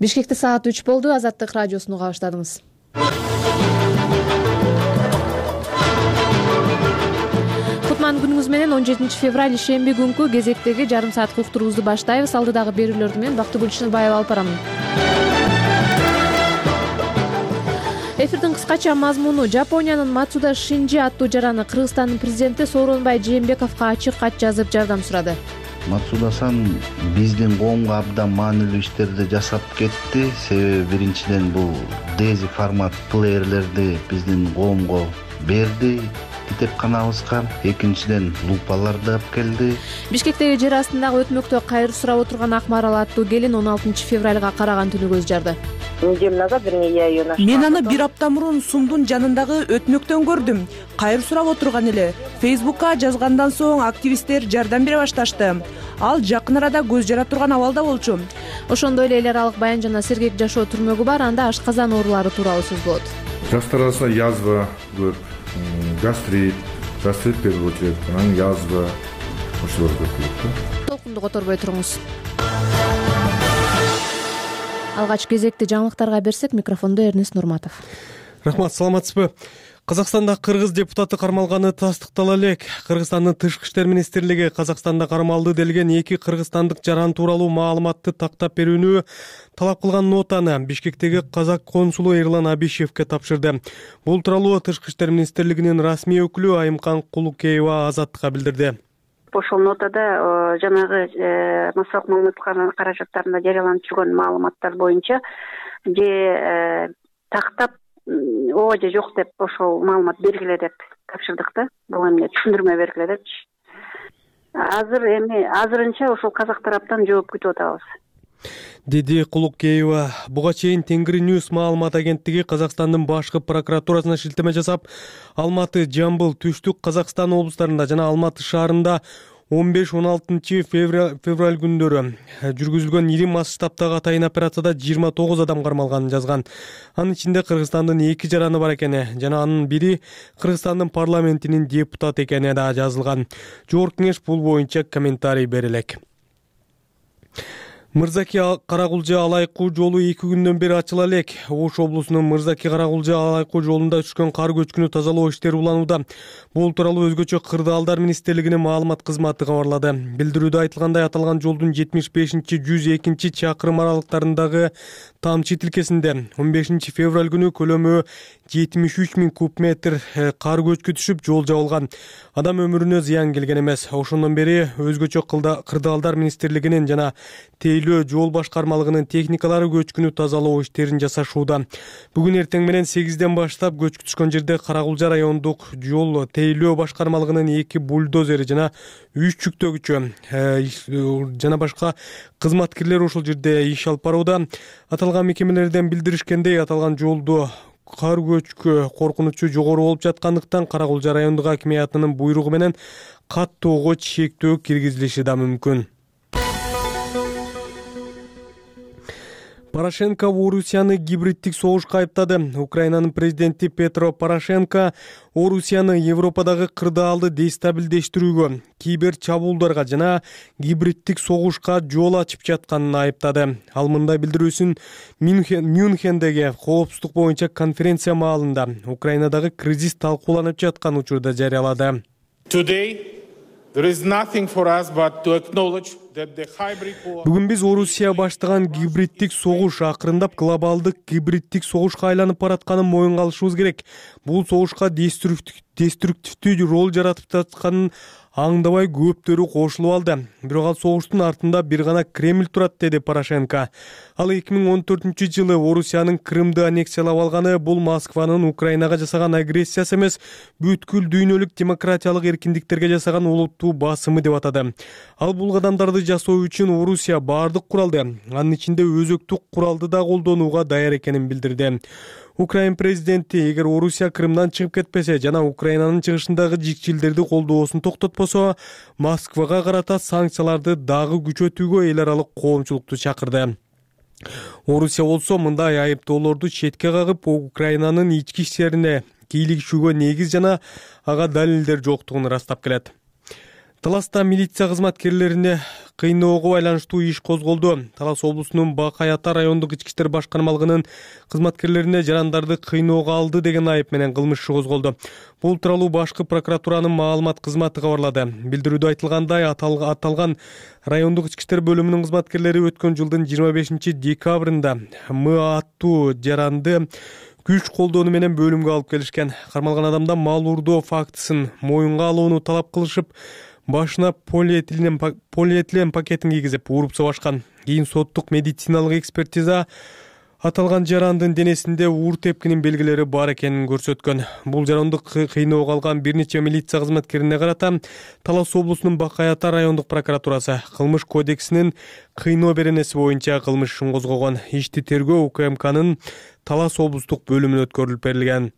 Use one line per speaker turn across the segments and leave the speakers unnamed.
Бишкекте саат 3 болду. Азаттык радиосуну уга баштадыңыз. Кутман күнүңүз менен 17 февраль ишемби күнкү кезектеги жарым сааттык уктуруубузду баштайбыз. Алдыдагы берүүлөрдү мен Бактыгүл Чыныбаева алып барамын. Эфирдин кыскача мазмуну: Жапониянын Мацуда Шинжи аттуу жараны Кыргызстандын президенти Сооронбай Жээнбековго ачык кат жазып жардам сурады.
Мацуда-сан биздин коомго абдан маанилүү иштерди жасап кетти. Себеби биринчиден бул Дези формат плеерлерди биздин коомго берди китепканабызга. Экинчиден лупаларды алып келди.
Бишкектеги жер астындагы өтмөктө кайыр сурап отурган Акмарал аттуу келин 16 февралга караган түнү көз жарды.
Мен аны бир апта мурун Сумдун жанындагы өтмөктөн көрдүм. Кайыр сурап отурган эле. Фейсбукка жазгандан соң активисттер жардам бере башташты. Ал жакын арада көз жара турган абалда болчу.
Ошондой эле эл аралык баян жана сергек жашоо түрмөгү бар. Анда ашказан оорулары тууралуу сөз болот.
Жаштар арасында язва көп, гастрит берип өтүрөт, анан язва ошолор көп болот.
Толкунду которбой туруңуз. Алгач кезекти жаңылыктарга берсек, микрофондо Эрнест Нурматов.
Рахмат, саламатсызбы? Казакстанда кыргыз депутаты кармалганы тастыктала элек. Кыргызстандын Тышкы иштер министрлиги Казакстанда кармалды делген 2 кыргызстандык жаран тууралуу маалыматты тактап берүүнү талап кылган нотаны Бишкектеги казак консулу Эрлан Абишевке тапшырды. Бул тууралуу Тышкы иштер министрлигинин расмий өкүлү Айымкан Кулукеева Азаттыкка билдирди.
Ошол нотада жанагы массалык маалымат каражаттарында жарыяланып жүргөн маалыматтар боюнча же тактап ооба же жок деп ошол маалымат бергиле деп тапшырдык да. Бул эмне түшүндүрмө бергиле депчи. Азырынча ошол казак тараптан жооп күтүп атабыз,
деди Кулукеева. Буга чейин Тенгри Ньюс маалымат агенттиги Казакстандын башкы прокуратурасына шилтеме жасап, Алматы, Жамбыл, Түштүк Казакстан облустарында жана Алматы шаарында 15-16 февраль күндөрү жүргүзүлгөн ири масштабтагы атайын операцияда 29 адам кармалганын жазган. Анын ичинде Кыргызстандын 2 жараны бар экени жана анын бири Кыргызстандын парламентинин депутаты экени да жазылган. Жогорку кеңеш бул боюнча комментарий бере элек. Мырзаки Каракулжа Алайкуу жолу 2 күндөн бери ачыла элек. Ош облусунун Мырзаки Каракулжа Алайкуу жолунда түшкөн кар көчкүнү тазалоо иштери уланууда. Бул тууралуу өзгөчө Кырдаалдар министрлигинин маалымат кызматы кабарлады. Билдирүүдө айтылгандай, аталган жолдун 75-102 чакырым аралыктарындагы тамчы тилкесинде 15 февраль күнү көлөмү 73 000 куб метр кар көчкү түшүп, жол жабылган. Адам өмүрүнө зыян келген эмес. Ошондон бери өзгөчө Кырдаалдар министрлигинин жана Тейлөө жол башкармалыгынын техникалары көчкүнү тазалоо иштерин жасашууда. Бүгүн эртең менен 8ден баштап көчкү түшкөн жерде Каракулжа райондук жол Тейлөө башкармалыгынын 2 бульдозери жана 3 жүктөгүчү жана башка кызматкерлер ошол жерде иш алып барууда. Аталган мекемелерден билдиришкендей, аталган жолду кар көчкү коркунучу жогору болуп жаткандыктан Каракулжа райондук акимиятынын буйругу менен каттоого чектөө киргизилиши да мүмкүн. Порошенко Орусияны гибриддик согушка айыптады. Украинанын президенти Петро Порошенко Орусияны Европадагы кырдаалды дестабилдештирүүгө, кибер чабуулдарга жана гибриддик согушка жол ачып жатканын айыптады. Ал мындай билдирүүсүн Мюнхендеги коопсуздук боюнча конференция маалында Украинадагы кризис талкууланып жаткан учурда жарыялады. Бүгүн биз Орусия баштаган гибриддик согуш акырындап глобалдык гибриддик согушка айланып баратканын моюнга алышыбыз керек. Бул согушка деструктивдүү роль жаратып жатканын аңдабай көптөрү кошулуп алды. Бирок ал согуштун артында бир гана Кремль турат, деди Порошенко. Ал 2014-жылы Орусиянын Крымды аннексиялап алганы бул Москванын Украинага жасаган агрессиясы эмес, бүткүл дүйнөлүк демократиялык эркиндиктерге жасаган олуттуу басымы деп атады. Ал бул кадамдарды жасоо үчүн Орусия баардык куралды, анын ичинде өзөктүк куралды да колдонууга даяр экенин билдирди. Украин президенти эгер Орусия Крымдан чыгып кетпесе жана Украинанын чыгышындагы жикчилдерди колдоосун токтотпосо, Москвага карата санкцияларды дагы күчөтүүгө эл аралык коомчулукту чакырды. Орусия болсо мындай айыптоолорду четке кагып, Украинанын ички иштерине кийлигишүүгө негиз жана ага далилдер жоктугун ырастап келет. Таласта милиция кызматкерлерине кыйноого байланыштуу иш козголду. Талас облусунун Бакай Ата райондук ички иштер башкармалыгынын кызматкерлерине жарандарды кыйноого алды деген айып менен кылмыш иши козголду. Бул тууралуу башкы прокуратуранын маалымат кызматы кабарлады. Билдирүүдө айтылгандай, аталган райондук ички иштер бөлүмүнүн кызматкерлери өткөн жылдын 25 декабрында М аттуу жаранды күч колдонуу менен бөлүмгө алып келишкен. Кармалган адамда мал уурдоо фактысын моюнга алууну талап кылышып, башына полиэтилен пакетин кийгизип уруп собашкан. Кийин соттук медициналык экспертиза аталган жарандын денесинде уур тепкинин белгилери бар экенин көрсөткөн. Бул жарандык кыйноого алган бир нече милиция кызматкерине карата Талас облусунун Бакай Ата райондук прокуратурасы кылмыш кодексинин кыйноо беренеси боюнча кылмыш ишин козгогон. Ишти тергөө УКМКнын Талас облустук бөлүмүнө өткөрүлүп берилген.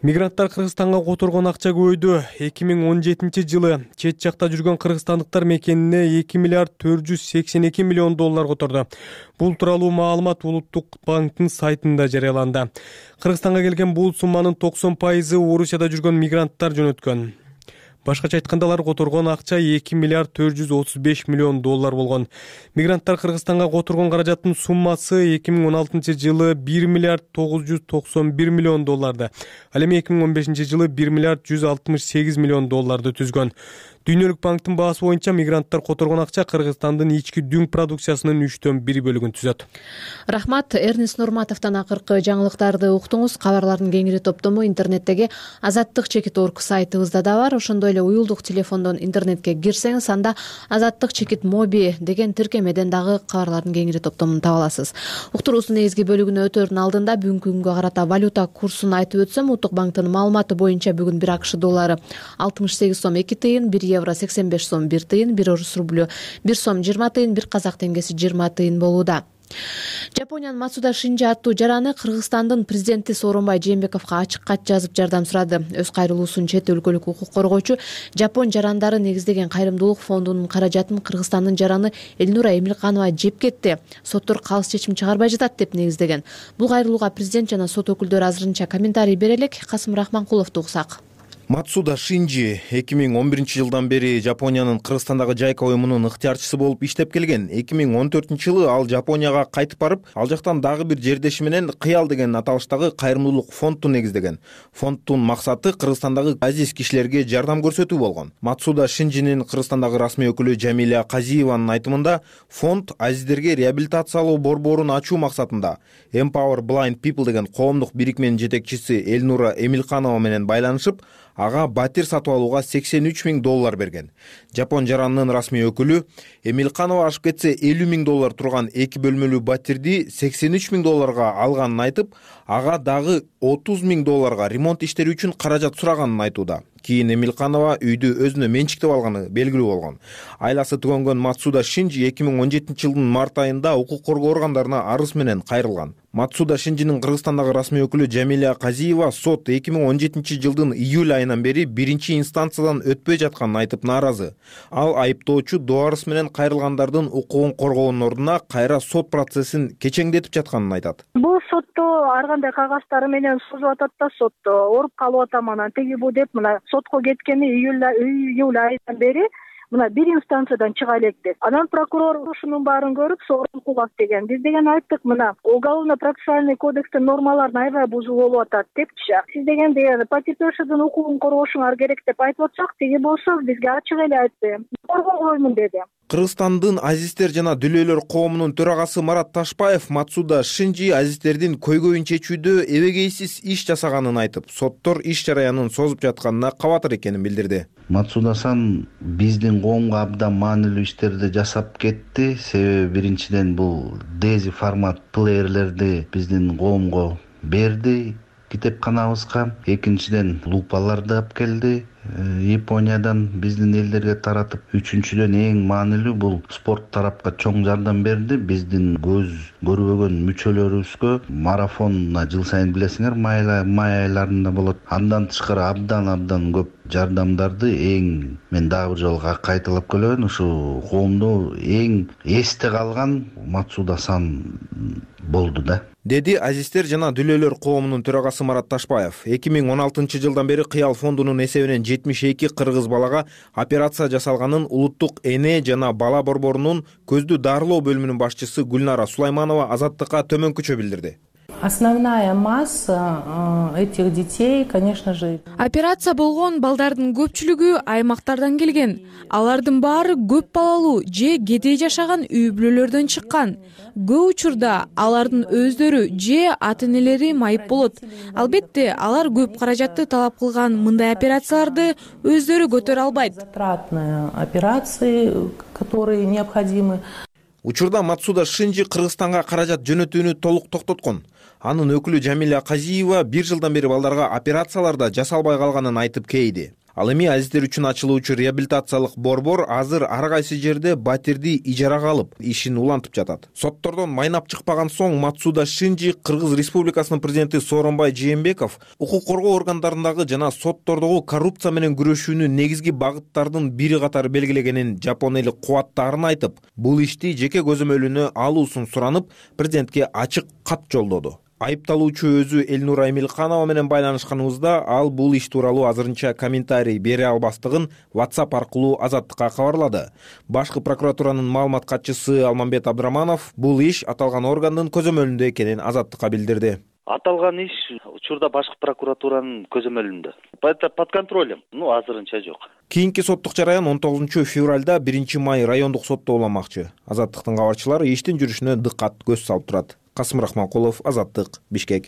Мигранттар Кыргызстанга которгон акча көбөйдү. 2017 жылы чет жакта жүргөн кыргызстандыктар мекенине 2 миллиард 482 миллион доллар которду. Бул тууралуу маалымат Улуттук банктын сайтында жарыяланды. Кыргызстанга келген бул сумманын 90% Орусияда жүргөн мигранттар жөнөткөн. Башкача айтканда, алар которгон акча 2 миллиард 435 миллион доллар болгон. Мигранттар Кыргызстанга которгон каражаттын суммасы 2016 жылы 1 миллиард 991 миллион долларды, ал эми 2015 жылы 1 миллиард 168 миллион долларды түзгөн. Дүйнөлүк банктын баасы боюнча мигранттар которгон акча Кыргызстандын ички дүң продукциясынын 3/1 бөлүгүн түзөт.
Рахмат. Эрнис Нурматовдон акыркы жаңылыктарды уктуңуз. Кабарлардын кеңири топтому интернеттеги Азаттык чекит орг сайтыбызда да бар. Ошондой эле уюлдук телефондон интернетке кирсеңиз, анда Азаттык чекит моби деген тиркемеден дагы кабарлардын кеңири топтомун таба аласыз. Уктуруубуздун негизги бөлүгүнө өтөөрдүн алдында бүгүнкү күнгө карата валюта курсун айтып өтсөм, Улуттук банктын маалыматы боюнча бүгүн 1 АКШ доллары 68 сом 2 тыйын, 1 евро 85 сом 1 тыйын, 1 орус рублю 1 сом 20 тыйын, 1 казак теңгеси 20 тыйын болууда. Жапониянын Мацуда Шинжи аттуу жараны Кыргызстандын президенти Сооронбай Жээнбековго ачык кат жазып жардам сурады. Өз кайрылуусун чет өлкөлүк укук коргоочу Жапон жарандары негиздеген кайрымдуулук фондунун каражатын Кыргызстандын жараны Элнура Эмилканова жеп кетти. Соттор калыс чечим чыгарбай жатат деп негиздеген. Бул кайрылууга президент жана сот өкүлдөрү азырынча комментарий бере элек. Касым Рахманкуловду уксак.
Мацуда Шинжи 2011 жылдан бери Жапониянын Кыргызстандагы жайка уюмунун ыктыярчысы болуп иштеп келген. 2014 жылы ал Жапонияга кайтып барып, ал жактан дагы бир жердеши менен Кыял деген аталыштагы кайрымдуулук фондду негиздеген. Фонддун максаты Кыргызстандагы азиз кишилерге жардам көрсөтүү болгон. Мацуда Шинжинин Кыргызстандагы расмий өкүлү Жамиля Казиеванын айтымында, фонд азиздерге реабилитациялоо борборун ачуу максатында Empower Blind People деген коомдук бирикменин жетекчиси Элнура Эмилканова менен байланышып, ага батир сатып алууга 83 000 доллар берген. Жапон жаранынын расмий өкүлү Эмилканова ашып кетсе 50 000 доллар турган 2 бөлмөлүү батирди 83 000 долларга алганын айтып, ага дагы 30 000 долларга ремонт иштери үчүн каражат сураганын айтууда. Кийин Эмилканова үйдү өзүнө менчиктеп алганы белгилүү болгон. Айласы түгөнгөн Мацуда Шинжи 2017 жылдын март айында укук коргоо органдарына арыз менен кайрылган. Мацуда Шинжинин Кыргызстандагы расмий өкүлү Жамиля Казиева сот 2017 жылдын июль айынан бери биринчи инстанциядан өтпөй жатканын айтып нааразы. Ал айыптоочу Дуарыс менен кайрылгандардын укугун коргоонун ордуна кайра сот процессин кечеңдетип жатканын айтат.
Бул сотто ар кандай кагаздар менен созуп атат да, сотто ооруп калып атам, анан теги бу деп мына сотко кеткени июль айынан бери мына бир инстанциядан чыга элек деп. Анан прокурор ушунун баарын көрүп, Сооронкулов деген биз деген айттык, мына уголовно-процессуальный кодекстин нормаларын аябай бузуу болуп атат депчи. Сиз деген потерпевшийдин укугун коргошуңар керек деп айтып атсак, теги болсо бизге ачык эле айтты. Коргойбоймун деди.
Кыргызстандын азиздер жана дүлөөлөр коомунун төрагасы Марат Ташпаев Мацуда Шинжи азиздердин көйгөйүн чечүүдө эбегейсиз иш жасаганын айтып, соттор иш жараянын созуп жатканына кабатыр экенин билдирди.
Мацуда-сан биздин коомго абдан маанилүү иштерди жасап кетти. Себеби биринчиден бул дези формат плеерлерди биздин коомго берди китепканабызга. Экинчиден лупаларды алып келди Япониядан биздин элдерге таратып. Үчүнчүдөн эң маанилүү бул спорт тарапка чоң жардам берди. Биздин көз көрбөгөн мүчөлөрүбүзгө марафонуна жыл сайын билесиңер май айларында болот. Андан тышкары абдан көп жардамдарды мен дагы бир жолу кайталап келебин, ушу коомдо эң эсте калган Мацуда-сан болду да,
деди Азиздер жана Дүлөлөр коомунун төрагасы Марат Ташбаев. 2016-жылдан бери Кыял фондунун эсебинен 72 кыргыз балага операция жасалганын улуттук эне жана бала борборунун көздү дарылоо бөлүмүнүн башчысы Гүлнара Сулайманова Азаттыкка төмөнкүчө билдирди.
Основная масса этих детей, конечно же...
Операция болгон балдардын көпчүлүгү аймактардан келген. Алардын баары көп балалуу же кедей жашаган үй бүлөлөрдөн чыккан. Көп учурда алардын өздөрү же ата-энелери майып болот. Албетте, алар көп каражатты талап кылган мындай операцияларды өздөрү көтөрө албайт.
Затратные операции, которые необходимы.
Учурда Мацуда Шинжи Кыргызстанга каражат жөнөтүүнү толук токтоткон. Анын өкүлү Жамиля Казиева 1 жылдан бери балдарга операцияларда жасалбай калганын айтып кейди. Ал эми азиздер үчүн ачылуучу реабилитациялык борбор азыр ар кайсы жерде батирди ижарага алып, ишин улантып жатат. Соттордон майнап чыкпаган соң Мацуда Шинжи Кыргыз Республикасынын президенти Сооронбай Жээнбеков укук коргоо органдарындагы жана соттордогу коррупция менен күрөшүүнүн негизги багыттардын бири катары белгилегенин, жапон эли кубаттаарын айтып, бул ишти жеке көзөмөлүнө алуусун суранып, президентке ачык кат жолдоду. Айыпталуучу өзү Элнура Эмилханова менен байланышканыбызда ал бул иш тууралуу азырынча комментарий бере албастыгын WhatsApp аркылуу Азаттыкка кабарлады. Башкы прокуратуранын маалымат катчысы Алмамбет Абдраманов бул иш аталган органдын көзөмөлүндө экенин Азаттыкка билдирди.
Аталган иш учурда башкы прокуратуранын көзөмөлүндө. Под контролем, азырынча жок.
Кийинки соттук жараян 19 февралда 1 май райондук сотто уламакчы. Азаттыктын кабарчылары иштин жүрүшүнө дыккат көз салып турат. Касым Рахманкулов, Азаттык, Бишкек.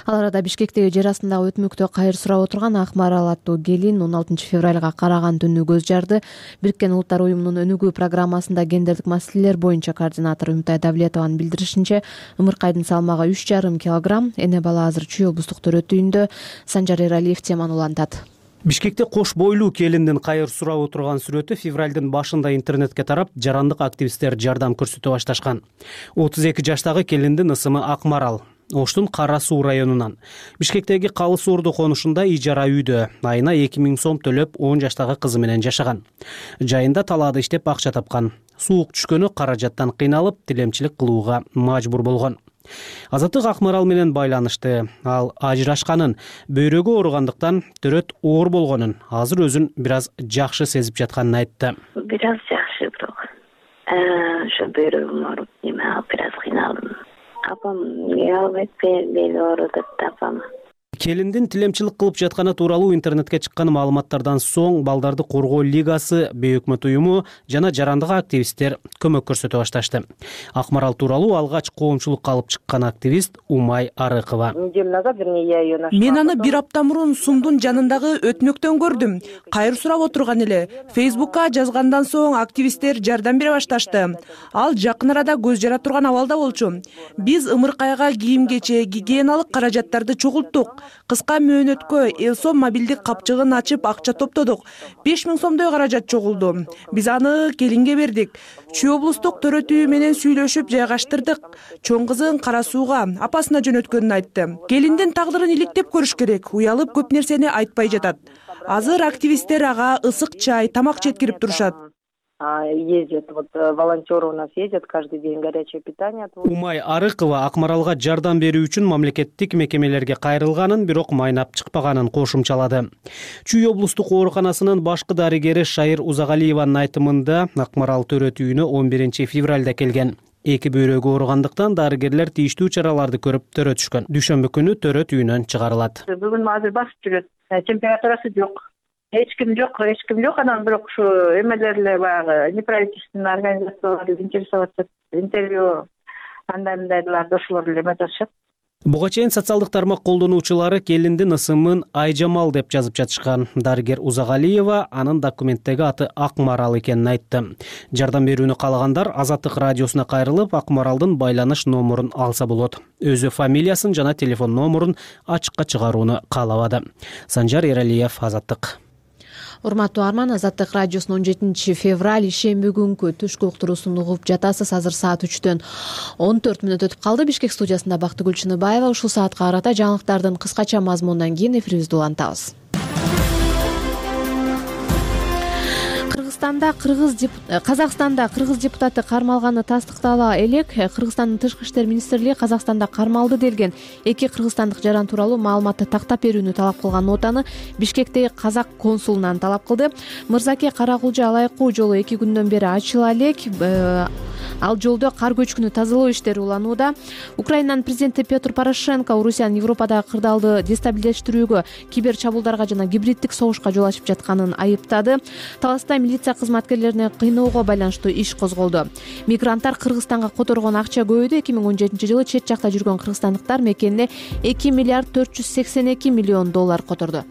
Ал арада Бишкектеги жер астындагы өтмөктө кайыр сурап отурган Акмарал аттуу келин 16 февралга караган түнү көз жарды. Бириккен Улуттар уюмунун өнүгүү программасында гендердик маселелер боюнча координатор Үмүтай Давлетованын билдиришинче, ымыркайдын салмагы 3,5 килограмм. Эне бала азыр Чүй облустук төрөт үйүндө. Санжар Эралиев теманы улантат.
Бишкекте кош бойлуу келиндин кайыр сурап отурган сүрөтү февралдын башында интернетке тарап, жарандык активисттер жардам көрсөтө башташкан. 32 жаштагы келиндин ысымы Акмарал. Оштун Кара Суу районунан. Бишкектеги Калы Суурду конушунда ижара үйдө айына 2000 сом төлөп 10 жаштагы кызы менен жашаган. Жайында талаада иштеп акча тапкан. Суук түшкөнү каражаттан кыйналып, тилемчилик кылууга мажбур болгон. Азаттык Акмарал менен байланышты. Ал ажырашканын, бөйрөгү ооругандыктан төрөт оор болгонун, азыр өзүн бир аз жакшы сезип жатканын айтты.
Бир аз жакшы бирок. Ошо бөйрөгүм ооруп, бир аз кыйналдым. Апам албетте бели ооруп атты апам.
Келиндин тилемчилик кылып жатканы тууралуу интернетке чыккан маалыматтардан соң Балдарды коргоо лигасы, бейөкмөт уюму жана жарандык активисттер көмөк көрсөтө башташты. Акмарал тууралуу алгач коомчулукка алып чыккан активист Умай Арыкова.
Мен аны бир апта мурун Сумдун жанындагы өтмөктөн көрдүм. Кайыр сурап отурган эле. Фейсбукка жазгандан соң активисттер жардам бере башташты. Ал жакын арада көз жара турган абалда болчу. Биз ымыркайга кийим-кече, гигиеналык каражаттарды чогулттук. Кыска мөөнөткө Элсом мобилдик капчыгын ачып акча топтодук. 5000 сомдой каражат чогулду. Биз аны келинге бердик. Чүй облустук төрөт үйү менен сүйлөшүп жайгаштырдык. Чоң кызын Кара Сууга апасына жөнөткөнүн айтты. Келиндин тагдырын иликтеп көрүш керек. Уялып көп нерсени айтпай жатат. Азыр активисттер ага ысык чай, тамак жеткирип турушат.
Ездят, волонтеры у нас ездят каждый день, горячее питание.
Умай Арыкова Акмаралга жардам берүү үчүн мамлекеттик мекемелерге кайрылганын, бирок майнап чыкпаганын кошумчалады. Чүй облустук ооруканасынын башкы дарыгери Шайыр Узагалиеванын айтымында Акмарал төрөт үйүнө 11 февралда келген. Эки бөйрөгү ооругандыктан дарыгерлер тийиштүү чараларды көрүп төрөтүшкөн. Дүйшөмбү күнү төрөт үйүнөн чыгарылат.
Бүгүн азыр басып жүрөт. Температурасы жок. Эч ким жок. Анан бирок ушу эмелерле баягы неправительственный организациялар интересоваться интервью андайларды ошолор эле эме жазышат.
Буга чейин социалдык тармак колдонуучулары келиндин ысымын Айжамал деп жазып жатышкан. Дарыгер Узагалиева анын документтеги аты Акмарал экенин айтты. Жардам берүүнү каалагандар Азаттык радиосуна кайрылып, Акмаралдын байланыш номерун алса болот. Өзү фамилиясын жана телефон номерун ачыкка чыгарууну каалабады. Санжар Эралиев, Азаттык.
Урматтуу арман, Азаттык радиосунун 17 февраль ишемби күнкү түшкү уктуруусун угуп жатасыз. Азыр саат 3-төн 14 мүнөт өтүп калды. Бишкек студиясында Бактыгүл Чыныбаева. Ушул саатка карата жаңылыктардын кыскача мазмунунан кийин эфирибизди улантабыз. Казакстанда кыргыз депутаты кармалганы тастыктала элек. Кыргызстандын тышкы иштер министрлиги Казакстанда кармалды делген 2 кыргызстандык жаран тууралуу маалыматты тактап берүүнү талап кылган нотаны Бишкектеги казак консулунан талап кылды. Мырзаке Каракулжа Алайкуу жолу 2 күндөн бери ачыла элек. Ал жолдо кар көчкүнү тазалоо иштери уланууда. Украинанын президенти Петр Порошенко Орусиянын Европадагы кырдаалды дестабилиздештирүүгө, кибер чабуулдарга жана гибриддик согушка жол ачып жатканын айыптады. Таласта милиция кызматкерлерине кыйноого байланыштуу иш козголду. Мигранттар Кыргызстанга которгон акча көбөйдү. 2017-жылы чет жакта жүргөн кыргызстандыктар мекенине 2 миллиард 482 миллион доллар которду.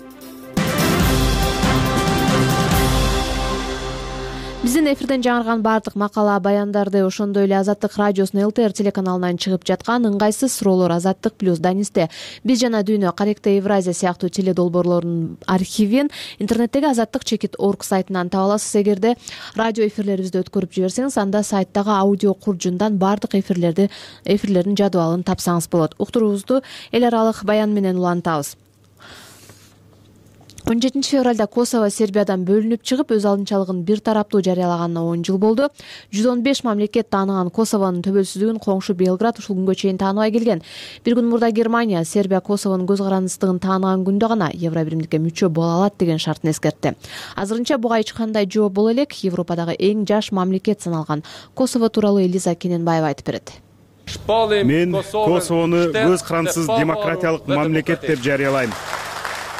Биздин эфирден жаңырган баардык макала, баяндарды, ошондой эле Азаттык радиосунун ЛТР телеканалынан чыгып жаткан ыңгайсыз суроолор Азаттык плюс Данисте, Биз жана Дүйнө, Каректе Евразия сыяктуу теледолбоорлордун архивин интернеттеги azattik.org сайтынан таба аласыз. Эгерде радио эфирлерибизди өткөрүп жиберсеңиз, анда сайттагы аудио куржундан баардык эфирлердин жадыбалын тапсаңыз болот. Уктуруубузду эл аралык баян менен улантабыз. 17 февралда Косово Сербиядан бөлүнүп чыгып, өз алдынчалыгын бир тараптуу жарыялаганына 10 жыл болду. 115 мамлекет тааныган Косовонун төбөлсүздүгүн коңшу Белград ушул күнгө чейин тааныбай келген. Бир күн мурда Германия Сербия Косовонун көз карандысыздыгын тааныган күндө гана Евробиримдикке мүчө боло алат деген шартын эскертти. Азырынча буга эч кандай жооп боло элек. Европадагы эң жаш мамлекет саналган Косово тууралуу Элиза Кененбаева айтып берет.
Мен Косовону көз карандысыз демократиялык мамлекет деп жарыялайм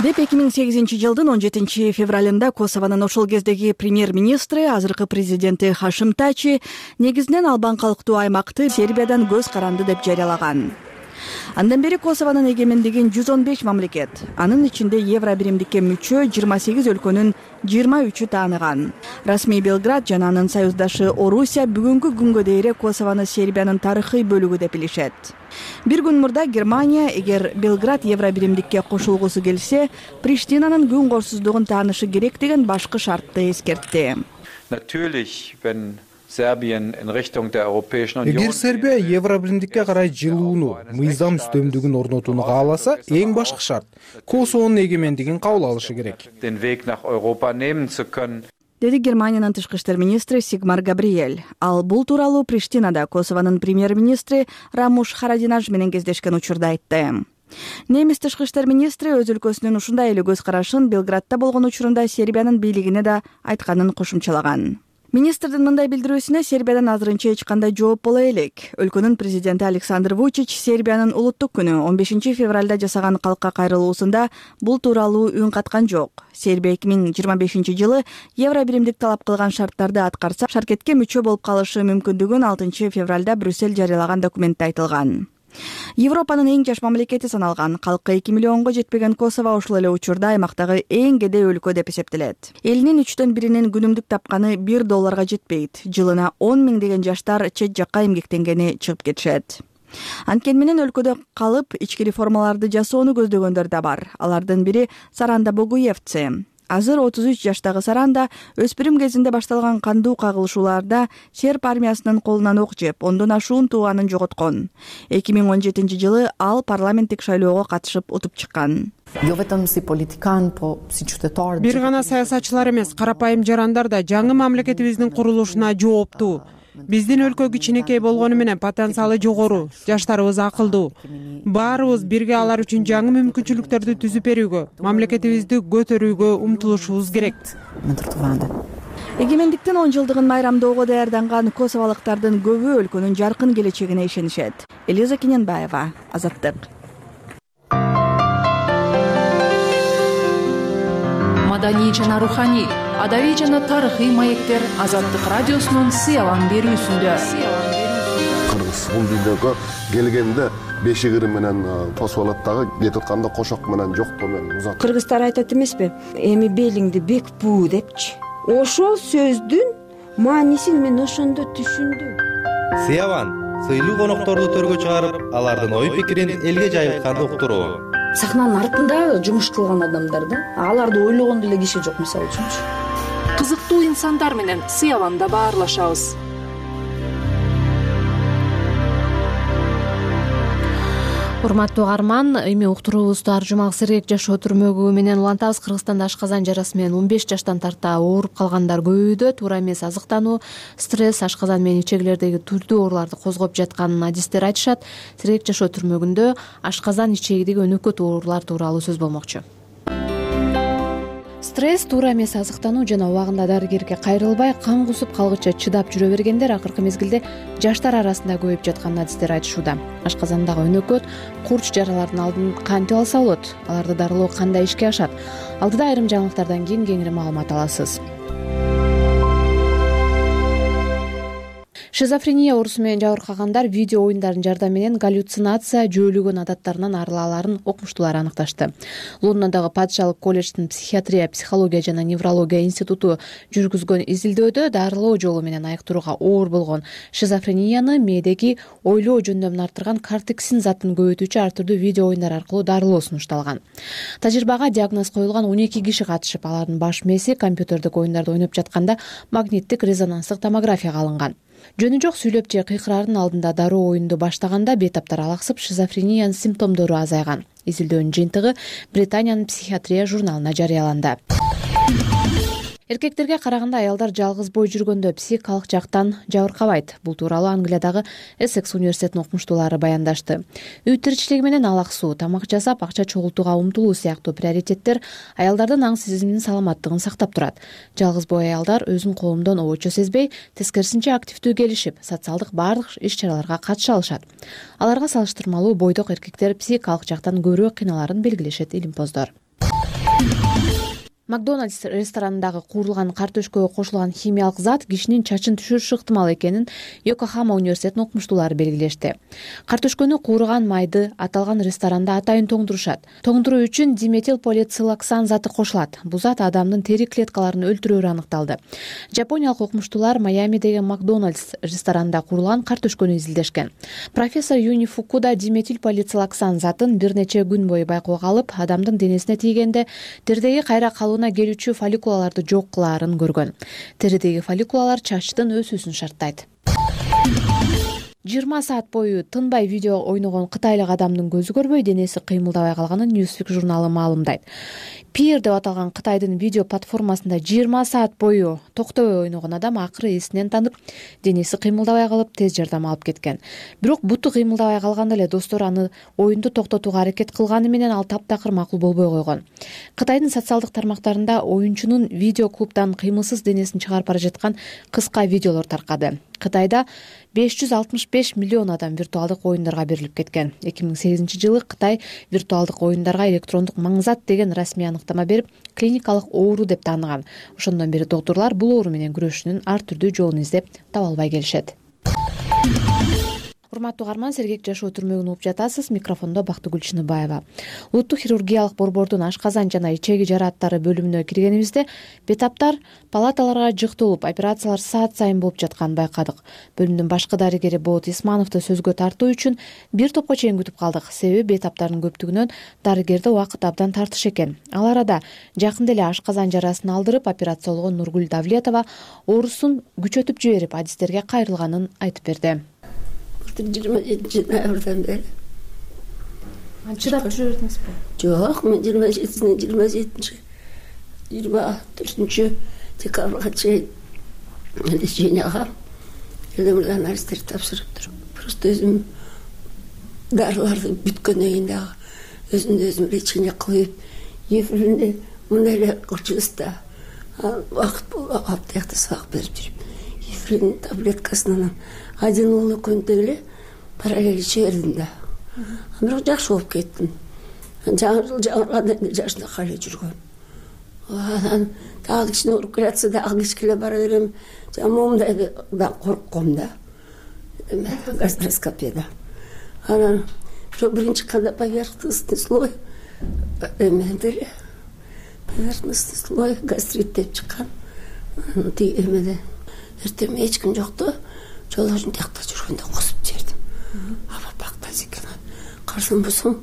деп 2008 жылдын 17 февралында Косовонун ошол кездеги премьер-министри, азыркы президенти Хашим Тачи негизинен албан калктуу аймакты Сербиядан көз каранды деп жарыялаган. Андан бери Косовонун эгемендигин 115 мамлекет, анын ичинде Евробиримдикке мүчө 28 өлкөнүн 23-ü тааныган. Расмий Белград жана анын союздашы Орусия бүгүнкү күнгө дейре Косовону Сербиянын тарыхый бөлүгү деп билишет. Бир күн мурда Германия, эгер Белград Евробиримдикке кошулгусу келсе, Приштинанын күн корсуздугун таанышы керек деген башкы шартты эскертти.
Эгер Сербия Евробиримдикке карай жылууну, мыйзам үстөмдүгүн орнотууну кааласа, эң башкы шарт Косовонун эгемендигин кабыл алышы керек.
Деди Германиянын тышкы иштер министри Сигмар Габриэль. Ал бул тууралуу Приштинада Косовонун премьер-министри Рамуш Харадинаж менен кездешкен учурда айтты. Немис тышкы иштер министри өз өлкөсүнүн ушундай эле көз карашын Белградда болгон учурунда Сербиянын бийлигине да айтканын кошумчалаган. Министрдин мындай билдирүүсүнө Сербиядан азырынча эч кандай жооп боло элек. Өлкөнүн президенти Александр Вучич Сербиянын улуттук күнү 15 февралда жасаган калкка кайрылуусунда бул тууралуу үн каткан жок. Сербия 2025 жылы Евробиримдик талап кылган шарттарды аткарса, шаркетке мүчө болуп калышы мүмкүндүгүн 6 февралда Брюссель жарыялаган документте айтылган. Европанын эң жаш мамлекети саналган, калкы 2 миллионго жетпеген Косово ушул эле учурда аймактагы эң кедей өлкө деп эсептелет. Элинин 3/4 күнүмдүк тапканы $1 жетпейт. Жылына 10 000 деген жаштар чет жакка эмгектенгени чыгып кетишет. Анткени менен өлкөдө калып, ички реформаларды жасоону көздөгөндөр да бар. Алардын бири Саранда Богуевци. Азыр 33 жаштагы Саранда өспүрүм кезинде башталган кандуу кагылышууларда серб армиясынын колунан ок жеп, ондон ашуун тууганын жоготкон. 2017 жылы ал парламенттик шайлоого катышып утуп чыккан.
Бир гана саясатчылар эмес, карапайым жарандар да жаңы мамлекетибиздин курулушуна жооптуу. Биздин өлкө кичинекей болгону менен потенциалы жогору, жаштарыбыз акылдуу. Баарыбыз бирге алар үчүн жаңы мүмкүнчүлүктөрдү түзүп берүүгө, мамлекетибизди көтөрүүгө умтулушубуз керек.
Эгемендиктин 10 жылдыгын майрамдоого даярданган косовалыктардын көбү өлкөнүн жаркын келечегине ишенишет. Элиза Кененбаева, Азаттык.
Маданий жана руханий, адабий жана тарыхый маектер Азаттык радиосунун сыялан берүүсүндө.
Кыргыз бул дүйнөгө келгенде бешигири менен тосуп алат дагы, кетип атканда кошок менен жоктоо менен узат.
Кыргыздар айтат эмеспи? Эми белиңди бек буу депчи. Ошол сөздүн маанисин мен ошондо түшүндүм.
Сыялан сыйлуу конокторду төргө чыгарып, алардын ой пикирин элге жайылтканды уктуруу. сахнанын артында жумуш кылган адамдар да, аларды ойлогон деле киши жок, мисалы үчүнчү.
Кызыктуу инсандар менен сыяланда баарлашабыз.
Урматтуу угарман, эми уктуруубузду ар жумак сергек жашоо түрмөгү менен улантабыз. Кыргызстанда ашказан жарасы менен 15 жаштан тарта ооруп калгандар көбөйүүдө. Туура эмес азыктануу, стресс ашказан менен ичегилердеги түрдүү ооруларды козгоп жатканын адистер айтышат. Сергек жашоо түрмөгүндө ашказан ичегидеги өнөкөт оорулар тууралуу сөз болмокчу. Стресс, туура эмес азыктануу жана убагында дарыгерге кайрылбай, кан кусуп калгыча чыдап жүрө бергендер акыркы мезгилде жаштар арасында көбөйүп жатканын адистер айтышууда. Ашказандагы өнөкөт, курч жаралардын алдын кантип алса болот? Аларды дарылоо кандай ишке ашат? Алдыда айрым жаңылыктардан кийин кеңири маалымат аласыз. Шизофрения оорусу менен жабыркагандар видео оюндардын жардамы менен галлюцинация, жөөлөгөн адаттарынан арыла аларын окумуштуулар аныкташты. Лондондогу Падышалык колледждин психиатрия, психология жана неврология институту жүргүзгөн изилдөөдө дарылоо жолу менен айыктырууга оор болгон шизофренияны мээдеги ойлоо жөндөмүн арттырган кортексин затын көбөйтүүчү ар түрдүү видео оюндар аркылуу дарылоо сунушталган. Тажрыйбага диагноз коюлган 12 киши катышып, алардын баш мээси компьютердик оюндарды ойноп жатканда магниттик резонанстык томографияга алынган. Жөнү жок сүйлөп же кыйкырардын алдында дароо оюнду баштаганда бейтаптар алаксып, шизофрениянын симптомдору азайган. Изилдөөнүн жыйынтыгы Британиянын психиатрия журналына жарыяланды. Эркектерге караганда аялдар жалгыз бой жүргөндө психикалык жактан жабыркабайт. Бул тууралуу Англиядагы Эссекс университетинин окумуштуулары баяндашты. Үй тиричилиги менен алаксуу, тамак жасап, акча чогултууга умтулуу сыяктуу приоритеттер аялдардын аң сезиминин саламаттыгын сактап турат. Жалгыз бой аялдар өзүн коомдон обочо сезбей, тескерисинче активдүү келишип, социалдык баардык иш-чараларга катыша алышат. Аларга салыштырмалуу бойдок эркектер психикалык жактан көбүрөөк кыйналарын белгилешет илимпоздор. Макдональдс ресторанындагы куурулган картөшкөгө кошулган химиялык зат кишинин чачын түшүрүшү ыктымал экенин Йокохама университетинин окумуштуулары белгилешти. Картөшкөнү куурган майды аталган ресторанда атайын тоңдурушат. Тоңдуруу үчүн диметилполицилоксан заты кошулат. Бул зат адамдын тери клеткаларын өлтүрөөрү аныкталды. Жапониялык окумуштуулар Майамидеги Макдональдс ресторанында куурулган картөшкөнү изилдешкен. Профессор Юни Фукуда диметилполицилоксан затын бир нече күн бою байкоого алып, адамдын денесине тийгенде теридеги кайра калуу келүүчү фолликулаларды жок кылаарын көргөн. Теридеги фолликулалар чачтын өсүүсүн шарттайт. 20 саат бою тынбай видео ойногон кытайлык адамдын көзү көрбөй, денеси кыймылдабай калганын Newsweek журналы маалымдайт. Peer деп аталган Кытайдын видео платформасында 20 саат бою токтобой ойногон адам акыры эсинен танып, денеси кыймылдабай калып, тез жардам алып кеткен. Бирок буту кыймылдабай калганда эле достору аны оюнду токтотууга аракет кылганы менен ал таптакыр макул болбой койгон. Кытайдын социалдык тармактарында оюнчунун видео клубдан кыймылсыз денесин чыгарып бара жаткан кыска видеолор таркады. Кытайда 565 миллион адам виртуалдык оюндарга берилип кеткен. 2008-жылы Кытай виртуалдык оюндарга электрондук маңзат деген расмий аныктама берип, клиникалык оору деп тааныган. Ошондон бери доктурлар бул оору менен күрөшүүнүн ар түрдүү жолун издеп таба албай келишет. Урматтуу угарман, сергек жашоо түрмөгүн угуп жатасыз. Микрофондо Бактыгүл Чыныбаева. Улуттук хирургиялык борбордун ашказан жана ичеги жарааттары бөлүмүнө киргенибизде бетаптар палаталарга жыкталып, операциялар саат сайын болуп жатканын байкадык. Бөлүмдүн башкы дарыгери Болот Исмановду сөзгө тартуу үчүн бир топко чейин күтүп калдык. Себеби бетаптардын көптүгүнөн дарыгерде убакыт абдан тартыш экен. Ал арада жакында эле ашказан жарасын алдырып операциялогон Нургүл Давлетова оорусун күчөтүп жиберип, адистерге кайрылганын айтып берди.
27 ноябрдан бери
чыдап жүрө бердиңизби?
Жок, мен 24 декабрга чейин леченияга элемирди анализдерди тапшырып туруп, просто өзүм дарыларды бүткөндөн кийин дагы өзүмдү өзүм лечение кылып, эфиринде мындай эле кылчубуз да, убакыт аптаякта сабак берип жүрүп, эфирин таблеткасынан один уулу күндө эле параллель иче бердим да. Бирок жакшы болуп кеттим. Жаңы жыл жаңырганда жашынакай эле жүргөм. Анан дагы кичине ооруп келатса дагы кичкеле бара берем. Момундай да коркком да. Гастроскопияда. Анан биринчи кандай поверхностный слой эмеде поверхностный слой гастрит деп чыккан. Эмеде эртең эч ким жокту. Жолдошум тиякта жүргөндө косуп жибердим. Аба бактайсыз экен. Карасам болсом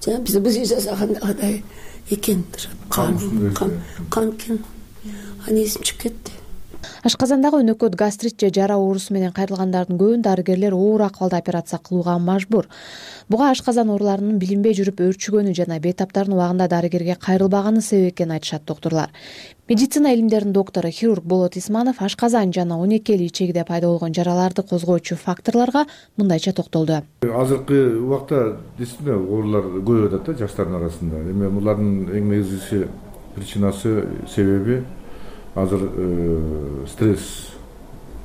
жана биз жасагандагыдай экен кан экен. Аны эсим чыгып кетти.
Ашказандагы өнөкөт гастрит же жара оорусу менен кайрылгандардын көбүн дарыгерлер оор акыбалда операция кылууга мажбур. Буга ашказан ооруларынын билинбей жүрүп өөрчүгөнү жана бейтаптардын убагында дарыгерге кайрылбаганы себеп экенин айтышат доктурлар. Медицина илимдеринин доктору хирург Болот Исманов ашказан жана 12 ичегиде пайда болгон жараларды козгоочу факторлорго мындайча токтолду.
Азыркы убакта действительно оорулар көбөйүп атат жаштардын арасында. Эми булардын эң негизги причинасы себеби азыр стресс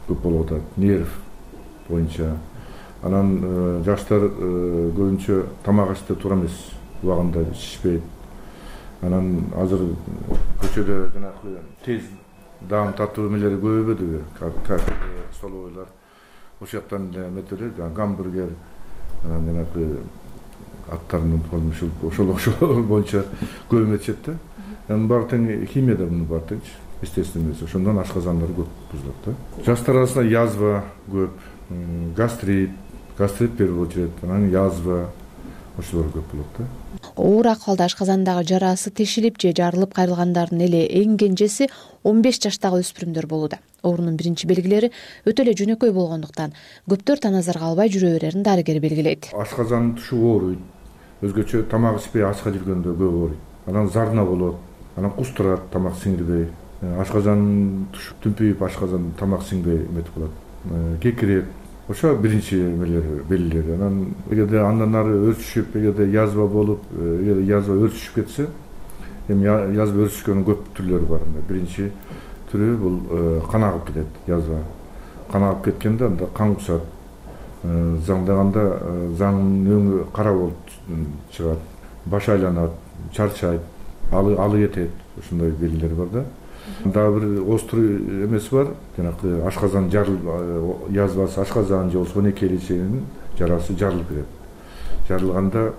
көп болуп атат, нерв боюнча. Анан жаштар көбүнчө тамак ашты туура эмес, убагында ичишпейт. Анан азыр көчөдө жанагы тез даам татуу эмелери көбөйбөдүбү? Кафе, столовойлар. Ошол жактан метелер, гамбургер, анан жанагы аттарын ошол боюнча көбөйүп атат да. Анын баары тең химияда муну бар теңчи. Естественно эмес. Ошондон ашказандар көп бузулат да. Жаштар арасында язва көп, гастрит первый очередь, анан язва ошолор көп болот да.
Оор акыбалда ашказандагы жарасы тешилип же жарылып кайрылгандардын эле эң кенжеси 15 жаштагы өспүрүмдөр болууда. Оорунун биринчи белгилери өтө эле жөнөкөй болгондуктан көптөр таназарга албай жүрө берерин дарыгер белгилейт.
Ашказан тушу ооруйт. Өзгөчө тамак ичпей ачка жүргөндө көп ооруйт. Анан зарна болот, анан кустурат тамак сиңирбей. Ашказан туш түнпүйүп ашказан тамак сиңбей эметип калат. Кекирет. Ошо биринчи белгилери. Анан эгерде андан ары өрчүшүп, эгерде язва болуп, эгерде язва өрчүшүп кетсе, эми язва өрчүшкөнүн көп түрлөрү бар. Биринчи түрү бул кан агып кетет, язва. Кан агып кеткенде анда кан кусат. Заңдаганда заңдын өңү кара болуп чыгат. Баш айланат, чарчайт, алы кетет. Ошондой белгилери бар да. Дагы бир острый эмеси бар. Жанагы ашказан жарылып, язвасы ашказан же болбосо 12 ичегинин жарасы жарылып кетет. Жарылганда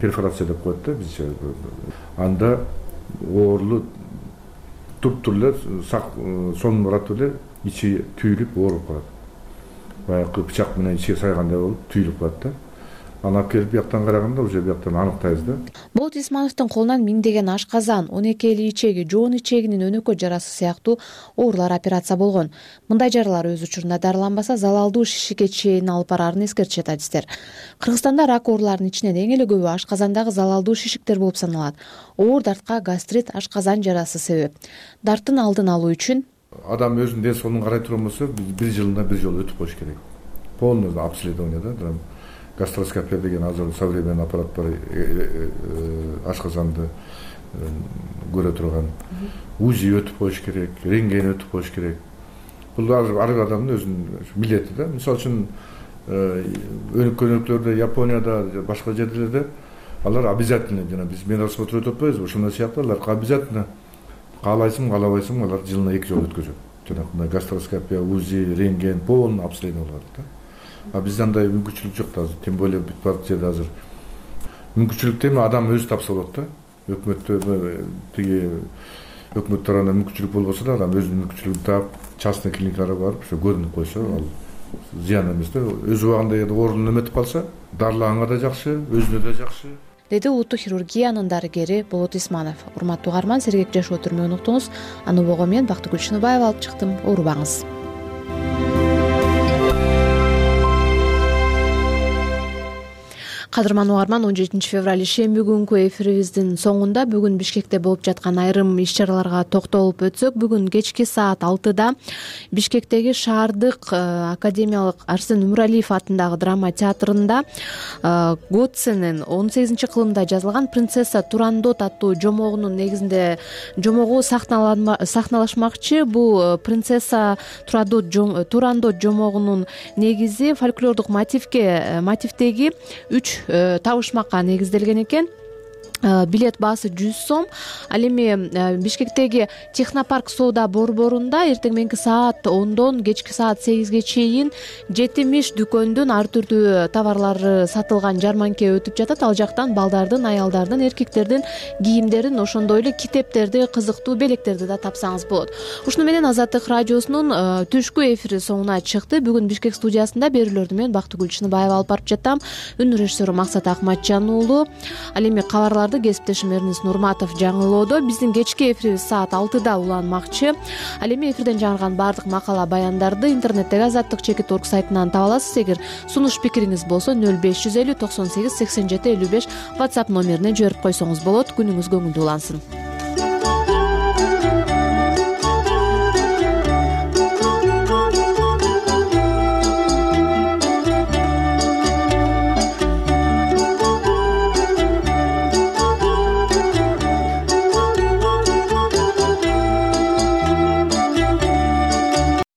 перфорация деп коет да бизче. Анда оорулуу туп-тур эле сонун барат эле ичи түйүлүп ооруп калат. Баягы бычак менен ичиге сайгандай болуп түйүлүп калат да. Анан келип бияктан караганда уже бияктан аныктайбыз да.
Болот Исмановдун колунан миңдеген ашказан, 12 ичеги, жоон ичегинин өнөкөт жарасы сыяктуу оорулар операция болгон. Мындай жаралар өз учурунда дарыланбаса, залалдуу шишикке чейин алып барарын эскертишет адистер. Кыргызстанда рак ооруларынын ичинен эң эле көбү ашказандагы залалдуу шишиктер болуп саналат. Оор дартка гастрит, ашказан жарасы себеп. Дарттын алдын алуу үчүн
адам өзүнүн ден соолугун карай турган болсо, бир жылына бир жолу өтүп коюш керек. Полный обследование да. Гастроскопия деген азыр современный аппарат бар, ашказанды көрө турган. УЗИ өтүп коюш керек, рентген өтүп коюш керек. Бул ар бир адамдын өзүнүн милдети да. Мисалы үчүн өнөкөйлөрдө, Японияда, башка жерлерде алар обязательно, жана биз мен осмотр өтүп атпайбызбы, ошондой сыяктуу алар обязательно каалайсың, каалабайсың, алар жылына 2 жолу өткөзөт. Жанагындай гастроскопия, УЗИ, рентген, полный обследование кылат да. А бизде андай мүмкүнчүлүк жок да азыр. Тем более бүт бар жерде азыр мүмкүнчүлүк эми адам өзү тапса болот да. Өкмөттө тиги өкмөт тарабынан мүмкүнчүлүк болбосо да адам өзүнүн мүмкүнчүлүгүн таап, частный клиникалар барып, ошо көрүнүп койсо, ал зыян эмес да. Өз убагында оорунун эметип калса, дарылаганга да жакшы, өзүнө да жакшы.
Деди улуттук хирургиянын дарыгери Болот Исманов. Урматтуу угарман, Сергек Жашоо түрмөгүн уктуңуз. Аны убого мен Бактыгүл Чыныбаева алып чыктым. Оорубаңыз. Кадырман угарман, 17 февраль шемби күнкү эфирибиздин соңунда бүгүн Бишкекте болуп жаткан айрым иш-чараларга токтолуп өтсөк, бүгүн кечки саат 6-да Бишкектеги шаардык академиялык Арсен Умуралиев атындагы драма театрында Готсенин 18-кылымда жазылган «Принцесса Турандот» аттуу жомогунун негизинде жомогу сахналашмакчы. Бул «Принцесса Турандот» жомогунун негизи фольклордук мотивдеги 3 табышмакка негизделген экен. билет баасы 100 сом. Ал эми Бишкектеги Технопарк соода борборунда эртең мененки саат 10дон кечки саат 8ге чейин 70 дүкөндүн ар түрдүү товарлары сатылган жарманке өтүп жатат. Ал жактан балдардын, аялдардын, эркектердин кийимдерин, ошондой эле китептерди, кызыктуу белектерди да тапсаңыз болот. Ушуну менен Азаттык радиосунун түшкү эфири соңуна чыкты. Бүгүн Бишкек студиясында берүүлөрдү мен Бактыгүл Чыныбаева алып барып жаттам. Үн режиссеру Максат Акматжан уулу. Ал эми кабарларды кесиптешим Эрнис Нурматов жаңылоодо. Биздин кечки эфирибиз саат 6да уланмакчы. Ал эми эфирден жаңырган баардык макала баяндарды интернеттеги azatdыk.org сайтынан таба аласыз. Эгер сунуш пикириңиз болсо 0550 98 87 55 WhatsApp номерине жиберип койсоңуз болот. Күнүңүз көңүлдүү улансын.